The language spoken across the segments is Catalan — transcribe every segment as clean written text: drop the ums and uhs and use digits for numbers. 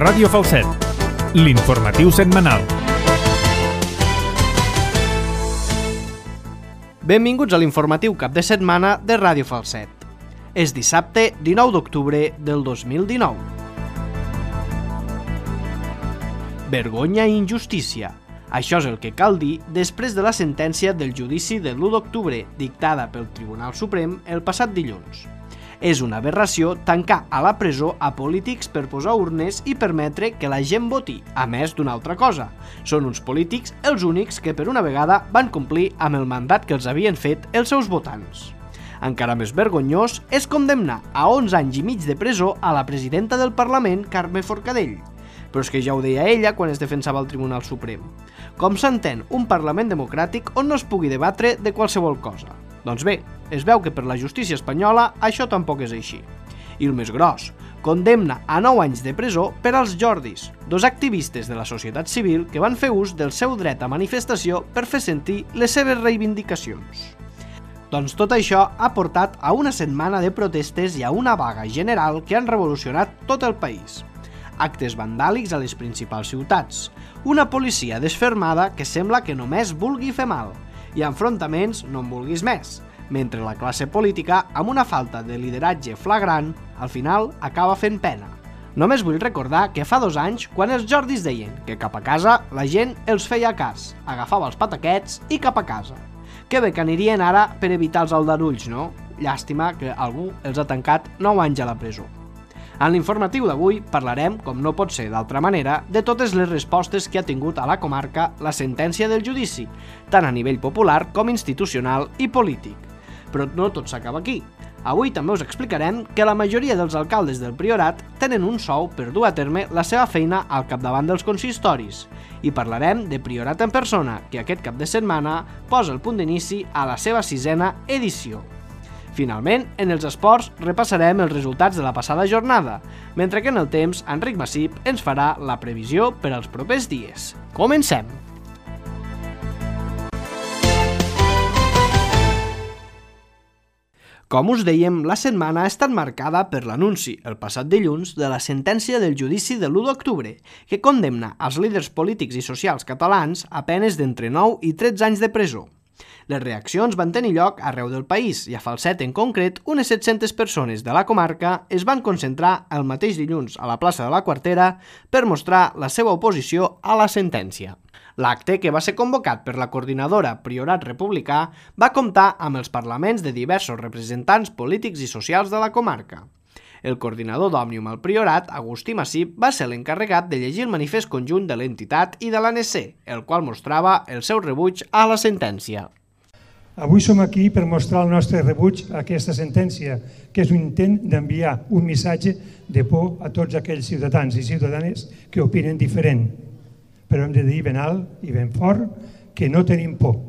Ràdio Falset, l'informatiu setmanal. Benvinguts a l'informatiu cap de setmana de Ràdio Falset. És dissabte 19 d'octubre del 2019. Vergonya i injustícia. Això és el que cal dir després de la sentència del judici de l'1 d'octubre dictada pel Tribunal Suprem el passat dilluns. És una aberració tancar a la presó a polítics per posar urnes i permetre que la gent voti, a més d'una altra cosa. Són uns polítics els únics que per una vegada van complir amb el mandat que els havien fet els seus votants. Encara més vergonyós és condemnar a 11 anys i mig de presó a la presidenta del Parlament, Carme Forcadell. Però és que ja ho deia ella quan es defensava al Tribunal Suprem. Com s'entén un Parlament democràtic on no es pugui debatre de qualsevol cosa? Doncs bé, es veu que per la justícia espanyola això tampoc és així. I el més gros, condemna a 9 anys de presó per als Jordis, dos activistes de la societat civil que van fer ús del seu dret a manifestació per fer sentir les seves reivindicacions. Doncs tot això ha portat a una setmana de protestes i a una vaga general que han revolucionat tot el país. Actes vandàlics a les principals ciutats, una policia desfermada que sembla que només vulgui fer mal, i enfrontaments no en vulguis més, mentre la classe política, amb una falta de lideratge flagrant, al final acaba fent pena. Només vull recordar que fa 2 anys, quan els Jordis deien que cap a casa la gent els feia cas, agafava els pataquets i cap a casa. Que bé que anirien ara per evitar els aldarulls, no? Llàstima que algú els ha tancat 9 anys a la presó. En l'informatiu d'avui parlarem, com no pot ser d'altra manera, de totes les respostes que ha tingut a la comarca la sentència del judici, tant a nivell popular com institucional i polític. Però no tot s'acaba aquí. Avui també us explicarem que la majoria dels alcaldes del Priorat tenen un sou per dur a terme la seva feina al capdavant dels consistoris. I parlarem de Priorat en persona, que aquest cap de setmana posa el punt d'inici a la seva 6ª edició. Finalment, en els esports repassarem els resultats de la passada jornada, mentre que en el temps, Enric Massip ens farà la previsió per als propers dies. Comencem! Com us dèiem, la setmana ha estat marcada per l'anunci, el passat dilluns, de la sentència del judici de l'1 d'octubre, que condemna als líders polítics i socials catalans a penes d'entre 9 i 13 anys de presó. Les reaccions van tenir lloc arreu del país i a Falset en concret unes 700 persones de la comarca es van concentrar el mateix dilluns a la plaça de la Quartera per mostrar la seva oposició a la sentència. L'acte, que va ser convocat per la coordinadora Priorat Republicà, va comptar amb els parlaments de diversos representants polítics i socials de la comarca. El coordinador d'Òmnium al Priorat, Agustí Massip, va ser l'encarregat de llegir el manifest conjunt de l'entitat i de l'ANC, el qual mostrava el seu rebuig a la sentència. Avui som aquí per mostrar el nostre rebuig a aquesta sentència, que és un intent d'enviar un missatge de por a tots aquells ciutadans i ciutadanes que opinen diferent. Però hem de dir ben alt i ben fort que no tenim por,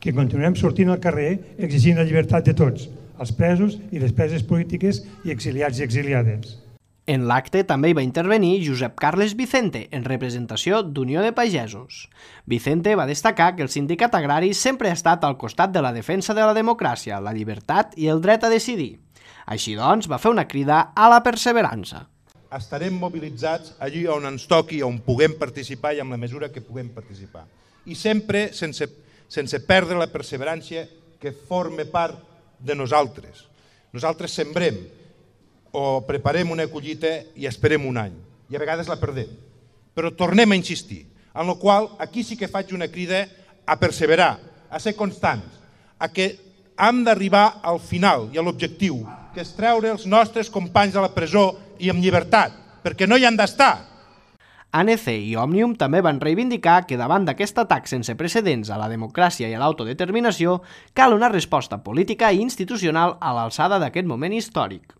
que continuem sortint al carrer exigint la llibertat de tots, els presos i les preses polítiques i exiliats i exiliades. En l'acte també hi va intervenir Josep Carles Vicente, en representació d'Unió de Pagesos. Vicente va destacar que el sindicat agrari sempre ha estat al costat de la defensa de la democràcia, la llibertat i el dret a decidir. Així doncs, va fer una crida a la perseverança. Estarem mobilitzats allí on ens toqui, on puguem participar i amb la mesura que puguem participar. I sempre sense perdre la perseverància que forma part de nosaltres. Nosaltres sembrem o preparem una collita i esperem un any, i a vegades la perdem. Però tornem a insistir, en la qual aquí sí que faig una crida a perseverar, a ser constants, a que hem d'arribar al final i a l'objectiu, que és treure els nostres companys de la presó i amb llibertat, perquè no hi han d'estar. ANC i Òmnium també van reivindicar que davant d'aquest atac sense precedents a la democràcia i a l'autodeterminació cal una resposta política i institucional a l'alçada d'aquest moment històric.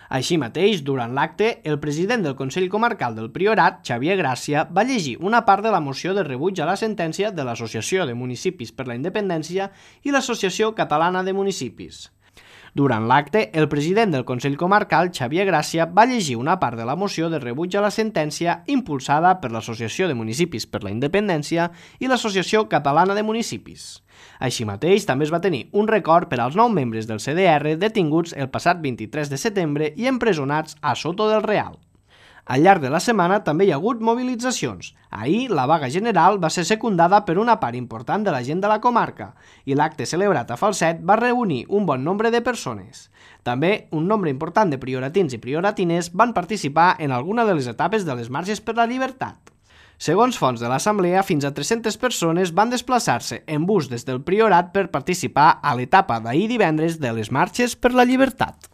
Així mateix, durant l'acte, el president del Consell Comarcal del Priorat, Xavier Gràcia, va llegir una part de la moció de rebuig a la sentència de l'Associació de Municipis per la Independència i l'Associació Catalana de Municipis. Durant l'acte, el president del Consell Comarcal, Xavier Gràcia, va llegir una part de la moció de rebuig a la sentència impulsada per l'Associació de Municipis per la Independència i l'Associació Catalana de Municipis. Així mateix, també es va tenir un record per als 9 membres del CDR detinguts el passat 23 de setembre i empresonats a Soto del Real. Al llarg de la setmana també hi ha hagut mobilitzacions. Ahir, la vaga general va ser secundada per una part important de la gent de la comarca i l'acte celebrat a Falset va reunir un bon nombre de persones. També un nombre important de prioratins i prioratines van participar en alguna de les etapes de les marxes per la llibertat. Segons fonts de l'Assemblea, fins a 300 persones van desplaçar-se en bus des del Priorat per participar a l'etapa d'ahir divendres de les marxes per la llibertat.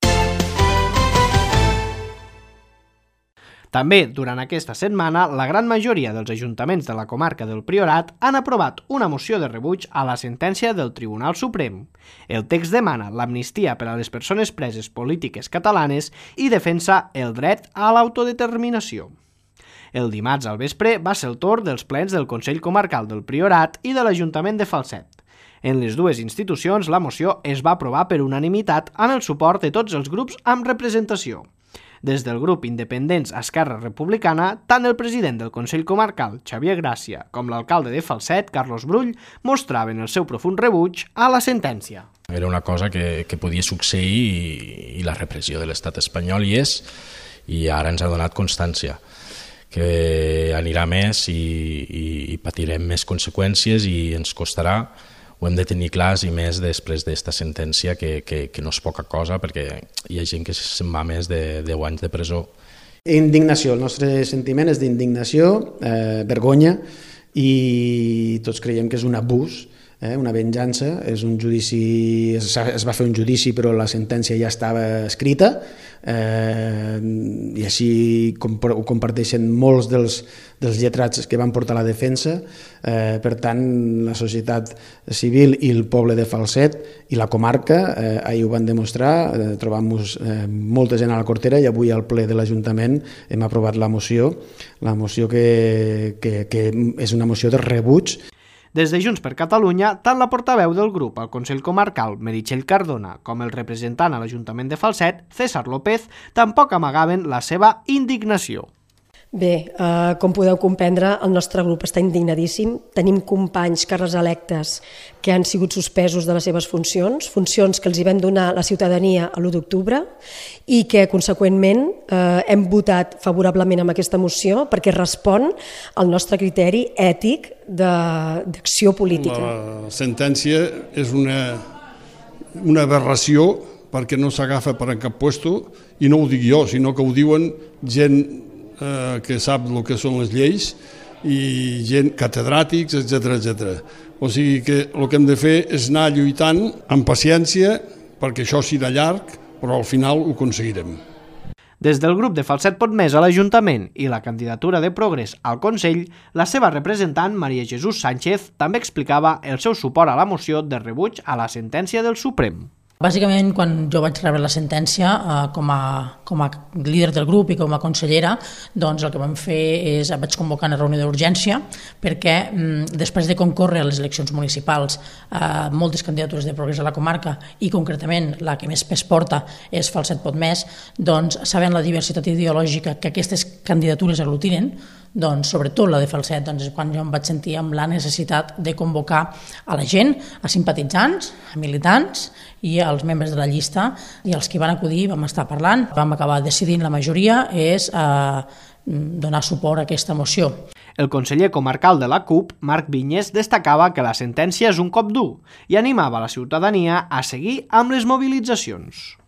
També, durant aquesta setmana, la gran majoria dels ajuntaments de la comarca del Priorat han aprovat una moció de rebuig a la sentència del Tribunal Suprem. El text demana l'amnistia per a les persones preses polítiques catalanes i defensa el dret a l'autodeterminació. El dimarts al vespre va ser el torn dels plens del Consell Comarcal del Priorat i de l'Ajuntament de Falset. En les dues institucions, la moció es va aprovar per unanimitat amb el suport de tots els grups amb representació. Des del grup Independents Esquerra Republicana, tant el president del Consell Comarcal, Xavier Gràcia, com l'alcalde de Falset, Carlos Brull, mostraven el seu profund rebuig a la sentència. Era una cosa que podia succeir i la repressió de l'estat espanyol hi és, i ara ens ha donat constància que anirà més i patirem més conseqüències i ens costarà. Ho hem de tenir clars i més després d'esta sentència que no és poca cosa perquè hi ha gent que se'n va més de 10 anys de presó. Indignació, el nostre sentiment és d'indignació, vergonya i tots creiem que és un abús, una venjança, és un judici, es va fer un judici però la sentència ja estava escrita i així ho comparteixen molts dels lletrats que van portar la defensa. Per tant, la societat civil i el poble de Falset i la comarca ahir ho van demostrar, trobant-nos molta gent a la Cortera i avui al ple de l'Ajuntament hem aprovat la moció que és una moció de rebuig. Des de Junts per Catalunya, tant la portaveu del grup al Consell Comarcal, Meritxell Cardona, com el representant a l'Ajuntament de Falset, César López, tampoc amagaven la seva indignació. Bé, com podeu comprendre, el nostre grup està indignadíssim. Tenim companys càrrecs electes que han sigut suspesos de les seves funcions que els hi vam donar la ciutadania a l'1 d'octubre i que, conseqüentment, hem votat favorablement amb aquesta moció perquè respon al nostre criteri ètic d'acció política. La sentència és una aberració perquè no s'agafa per en cap puesto i no ho dic jo, sinó que ho diuen gent que sap el que són les lleis i gent, catedràtics, etc. O sigui que el que hem de fer és anar lluitant amb paciència perquè això serà llarg, però al final ho aconseguirem. Des del grup de Falset Pot Més a l'Ajuntament i la candidatura de Progrés al Consell, la seva representant, Maria Jesús Sánchez, també explicava el seu suport a la moció de rebuig a la sentència del Suprem. Bàsicament, quan jo vaig rebre la sentència com a líder del grup i com a consellera, doncs el que vam fer és vaig convocar una reunió d'urgència perquè després de concórrer a les eleccions municipals moltes candidatures de Progrés a la comarca i concretament la que més pes porta és Falset Pot Més, doncs sabent la diversitat ideològica que aquestes candidatures aglutinen, doncs, sobretot la de Falset, doncs, és quan jo em vaig sentir amb la necessitat de convocar a la gent, a simpatitzants, a militants i als membres de la llista, i els que van acudir vam estar parlant, vam acabar decidint la majoria és donar suport a aquesta moció. El conseller comarcal de la CUP, Marc Vinyes, destacava que la sentència és un cop dur i animava la ciutadania a seguir amb les mobilitzacions.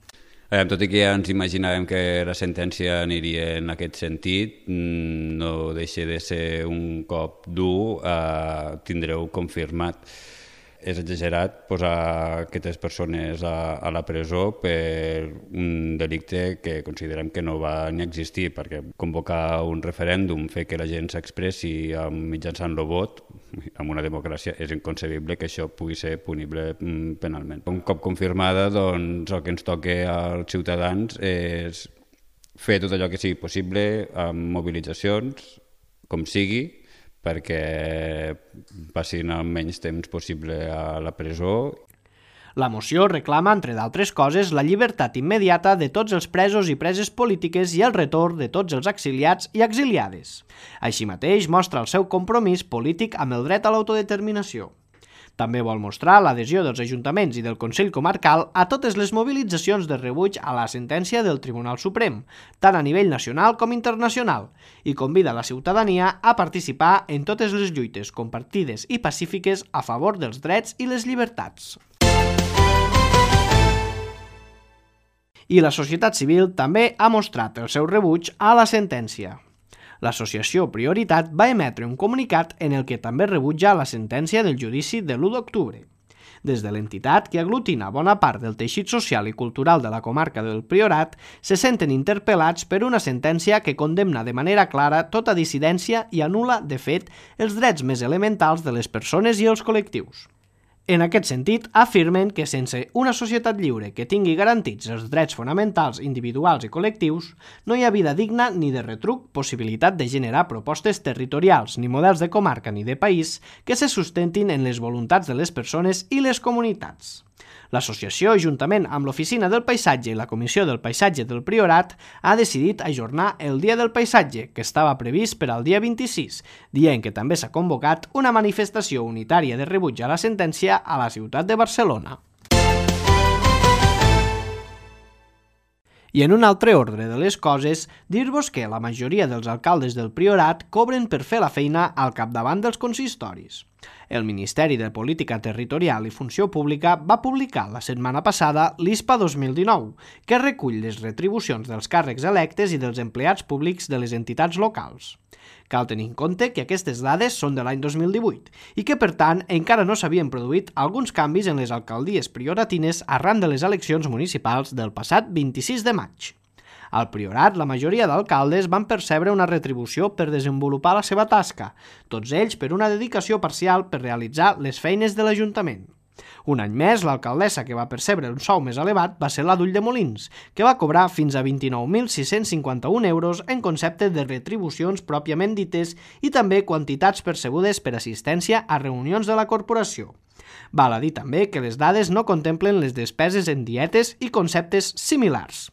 Tot i que ja ens imaginàvem que la sentència aniria en aquest sentit, no deixa de ser un cop dur, tindreu confirmat. És exagerat posar aquestes persones a la presó per un delicte que considerem que no va ni existir, perquè convocar un referèndum, fer que la gent s'expressi mitjançant el vot, en una democràcia és inconcebible que això pugui ser punible penalment. Un cop confirmada, doncs, el que ens toca als ciutadans és fer tot allò que sigui possible amb mobilitzacions, com sigui, perquè passin el menys temps possible a la presó. La moció reclama, entre d'altres coses, la llibertat immediata de tots els presos i preses polítiques i el retorn de tots els exiliats i exiliades. Així mateix, mostra el seu compromís polític amb el dret a l'autodeterminació. També vol mostrar l'adhesió dels ajuntaments i del Consell Comarcal a totes les mobilitzacions de rebuig a la sentència del Tribunal Suprem, tant a nivell nacional com internacional, i convida la ciutadania a participar en totes les lluites compartides i pacífiques a favor dels drets i les llibertats. I la societat civil també ha mostrat el seu rebuig a la sentència. L'associació Prioritat va emetre un comunicat en el que també rebutja la sentència del judici de l'1 d'octubre. Des de l'entitat, que aglutina bona part del teixit social i cultural de la comarca del Priorat, se senten interpel·lats per una sentència que condemna de manera clara tota dissidència i anul·la, de fet, els drets més elementals de les persones i els col·lectius. En aquest sentit, afirmen que sense una societat lliure que tingui garantits els drets fonamentals individuals i col·lectius, no hi ha vida digna ni de retruc possibilitat de generar propostes territorials, ni models de comarca ni de país que se sustentin en les voluntats de les persones i les comunitats. L'associació, juntament amb l'Oficina del Paisatge i la Comissió del Paisatge del Priorat, ha decidit ajornar el Dia del Paisatge, que estava previst per al dia 26, dia en què també s'ha convocat una manifestació unitària de rebuig a la sentència a la ciutat de Barcelona. I en un altre ordre de les coses, dir-vos que la majoria dels alcaldes del Priorat cobren per fer la feina al capdavant dels consistoris. El Ministeri de Política Territorial i Funció Pública va publicar la setmana passada l'ISPA 2019, que recull les retribucions dels càrrecs electes i dels empleats públics de les entitats locals. Cal tenir en compte que aquestes dades són de l'any 2018 i que, per tant, encara no s'havien produït alguns canvis en les alcaldies prioratines arran de les eleccions municipals del passat 26 de maig. Al Priorat, la majoria d'alcaldes van percebre una retribució per desenvolupar la seva tasca, tots ells per una dedicació parcial per realitzar les feines de l'Ajuntament. Un any més, l'alcaldessa que va percebre un sou més elevat va ser la d'Ulldemolins, que va cobrar fins a 29.651 euros en concepte de retribucions pròpiament dites i també quantitats percebudes per assistència a reunions de la corporació. Val a dir també que les dades no contemplen les despeses en dietes i conceptes similars.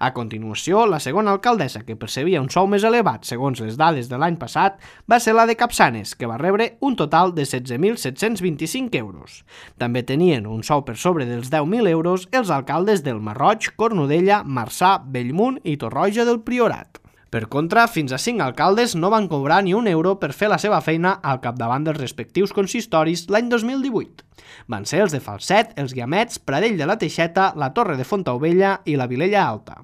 A continuació, la segona alcaldessa que percebia un sou més elevat segons les dades de l'any passat va ser la de Capçanes, que va rebre un total de 16.725 euros. També tenien un sou per sobre dels 10.000 euros els alcaldes del Masroig, Cornudella, Marçà, Bellmunt i Torroja del Priorat. Per contra, fins a 5 alcaldes no van cobrar ni un euro per fer la seva feina al capdavant dels respectius consistoris l'any 2018. Van ser els de Falset, els Guiamets, Pradell de la Teixeta, la Torre de Fontaubella i la Vilella Alta.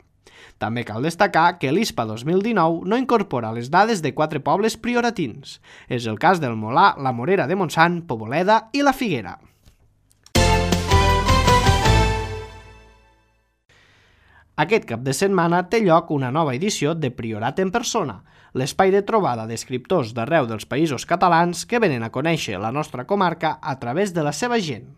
També cal destacar que l'ISPA 2019 no incorpora les dades de 4 pobles prioratins. És el cas del Molà, la Morera de Montsant, Poboleda i la Figuera. Aquest cap de setmana té lloc una nova edició de Priorat en persona, l'espai de trobada d'escriptors d'arreu dels països catalans que venen a conèixer la nostra comarca a través de la seva gent.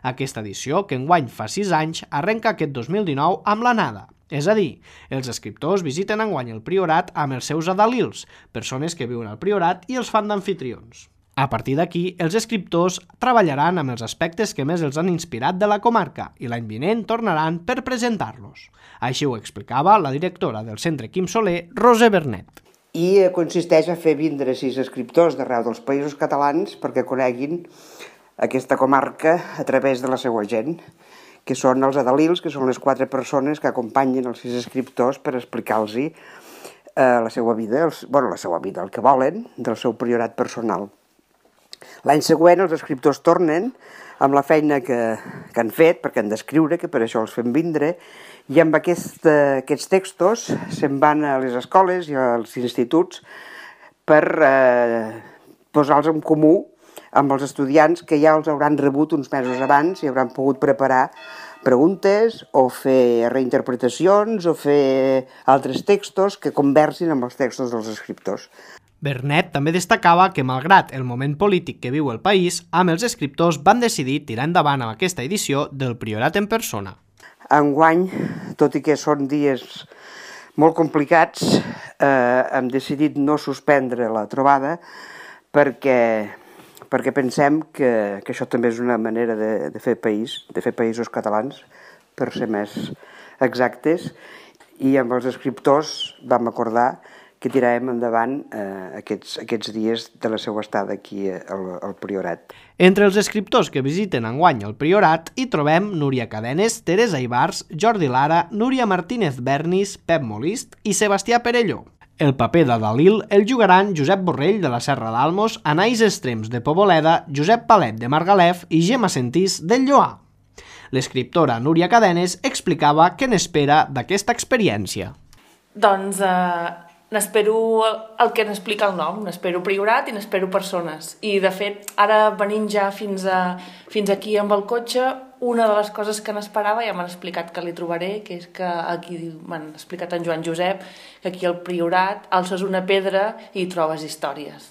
Aquesta edició, que enguany fa 6 anys, arrenca aquest 2019 amb l'anada. És a dir, els escriptors visiten enguany el Priorat amb els seus adalils, persones que viuen al Priorat i els fan d'anfitrions. A partir d'aquí, els escriptors treballaran amb els aspectes que més els han inspirat de la comarca i l'any vinent tornaran per presentar-los. Així ho explicava la directora del Centre Quim Soler, Roser Bernet. I consisteix a fer vindre 6 escriptors d'arreu dels països catalans perquè coneguin aquesta comarca a través de la seva gent, que són els adalils, que són les 4 persones que acompanyen els 6 escriptors per explicar-los la seva vida, el que volen del seu priorat personal. L'any següent els escriptors tornen amb la feina que han fet, perquè han d'escriure, que per això els fem vindre, i amb aquests textos se'n van a les escoles i als instituts per posar-los en comú amb els estudiants que ja els hauran rebut uns mesos abans i hauran pogut preparar preguntes o fer reinterpretacions o fer altres textos que conversin amb els textos dels escriptors. Bernet també destacava que, malgrat el moment polític que viu el país, amb els escriptors van decidir tirar endavant amb aquesta edició del Priorat en persona. Enguany, tot i que són dies molt complicats, hem decidit no suspendre la trobada perquè pensem que això també és una manera de fer país, de fer països catalans, per ser més exactes, i amb els escriptors vam acordar que tirarem endavant aquests dies de la seva estada aquí al Priorat. Entre els escriptors que visiten enguany el Priorat hi trobem Núria Cadenes, Teresa Ibars, Jordi Lara, Núria Martínez Bernis, Pep Molist i Sebastià Perelló. El paper de Dalil el jugaran Josep Borrell de la Serra d'Almos, Anaïs Extrems de Poboleda, Josep Palet de Margalef i Gemma Sentís del Lloar. L'escriptora Núria Cadenes explicava què n'espera d'aquesta experiència. Doncs n'espero el que n'explica el nom, n'espero Priorat i n'espero persones. I de fet, ara venint ja fins aquí amb el cotxe, una de les coses que n'esperava, ja m'han explicat que li trobaré, que és que aquí m'han explicat en Joan Josep, que aquí al Priorat alces una pedra i trobes històries.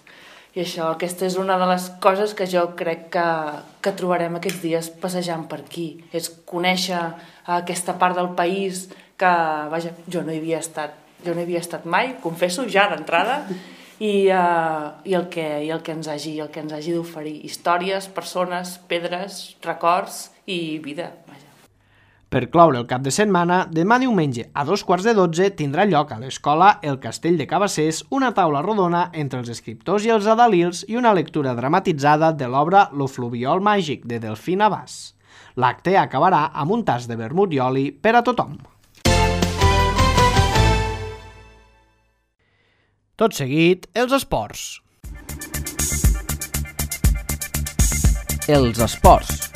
I aquesta és una de les coses que jo crec que trobarem aquests dies passejant per aquí. És conèixer aquesta part del país que, vaja, jo no hi havia estat mai, confesso, ja d'entrada, i el que ens hagi d'oferir. Històries, persones, pedres, records i vida, vaja. Per cloure el cap de setmana, demà diumenge a 12:15 tindrà lloc a l'escola El Castell de Cabassers una taula rodona entre els escriptors i els adalils i una lectura dramatitzada de l'obra Lo fluviol màgic de Delfín Abbas. L'acte acabarà amb un tas de vermut i oli per a tothom. Tot seguit, els esports. Els esports.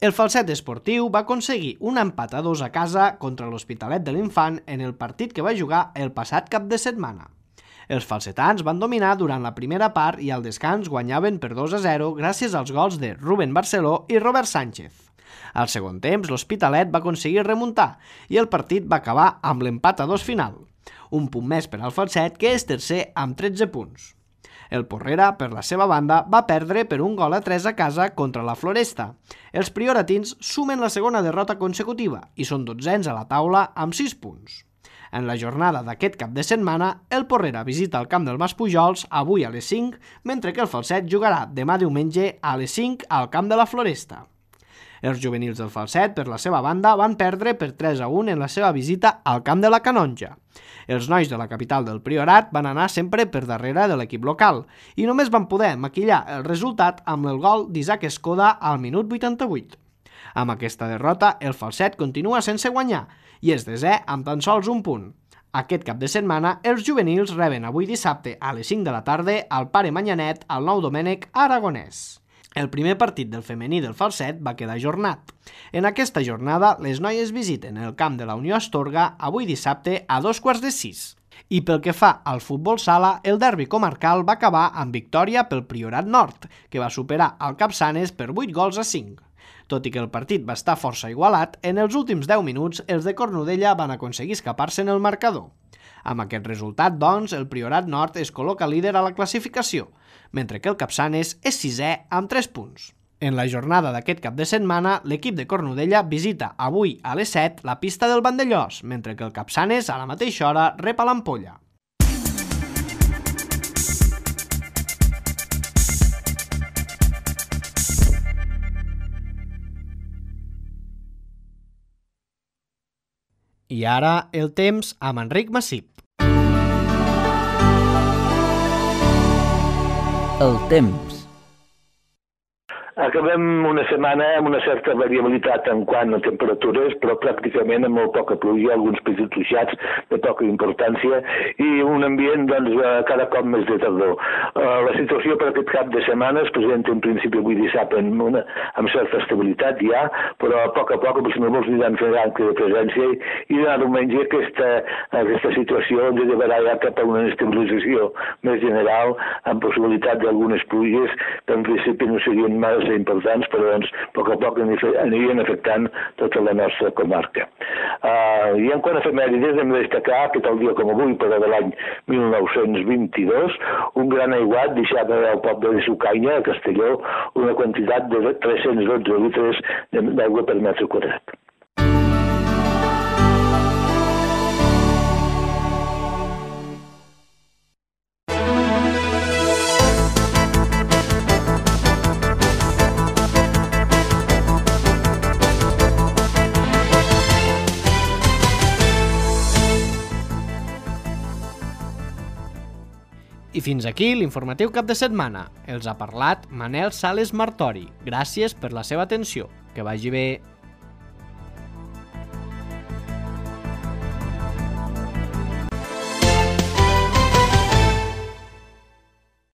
El Falset esportiu va aconseguir un empat a 2 a casa contra l'Hospitalet de l'Infant en el partit que va jugar el passat cap de setmana. Els falsetans van dominar durant la primera part i al descans guanyaven per 2-0 gràcies als gols de Rubén Barceló i Robert Sánchez. Al segon temps, l'Hospitalet va aconseguir remuntar i el partit va acabar amb l'empat a 2 final. Un punt més per al Falset, que és tercer amb 13 punts. El Porrera, per la seva banda, va perdre per 1-3 a casa contra la Floresta. Els prioratins sumen la segona derrota consecutiva i són 12ens a la taula amb 6 punts. En la jornada d'aquest cap de setmana, el Porrera visita el camp del Mas Pujols avui a les 5, mentre que el Falset jugarà demà diumenge a les 5 al camp de la Floresta. Els juvenils del Falset, per la seva banda, van perdre per 3-1 en la seva visita al camp de la Canonja. Els nois de la capital del Priorat van anar sempre per darrere de l'equip local i només van poder maquillar el resultat amb el gol d'Isaac Escoda al minut 88. Amb aquesta derrota, el Falset continua sense guanyar i és desè amb tan sols un punt. Aquest cap de setmana, els juvenils reben avui dissabte a les 5 de la tarda al Pare Manyanet al Nou Domènec Aragonès. El primer partit del femení del Falset va quedar ajornat. En aquesta jornada, les noies visiten el camp de la Unió Astorga avui dissabte a 5:15. I pel que fa al futbol sala, el derbi comarcal va acabar amb victòria pel Priorat Nord, que va superar el Capçanes per 8-5. Tot i que el partit va estar força igualat, en els últims 10 minuts els de Cornudella van aconseguir escapar-se en el marcador. Amb aquest resultat, doncs, el Priorat Nord es col·loca líder a la classificació, mentre que el Capçanes és sisè amb 3 punts. En la jornada d'aquest cap de setmana, l'equip de Cornudella visita avui a les 7 la pista del Vandellós, mentre que el Capçanes a la mateixa hora rep a l'Ampolla. I ara el temps amb Enric Massip. El temps. Acabem una setmana amb una certa variabilitat en quant a temperatures, però pràcticament amb molt poca pluja, alguns petits ruixats de poca importància i un ambient cada cop més de tardor. La situació per aquest cap de setmana es presenta en principi avui dissabte amb certa estabilitat ja, però a poc els núvols aniran fent acte de presència i demà diumenge aquesta situació ens llevarà ja cap a una estabilització més general amb possibilitat d'algunes pluges que en principi no serien males importants, però a poc anirien afectant tota la nostra comarca. I en quant a efemèrides hem de destacar que tal dia com avui, però de l'any 1922, un gran aiguat deixava al poble de Sucanya, a Castelló, una quantitat de 312 litres d'aigua per metre quadrat. fins aquí l'informatiu cap de setmana. Els ha parlat Manel Sales Martori. Gràcies per la seva atenció. Que vagi bé.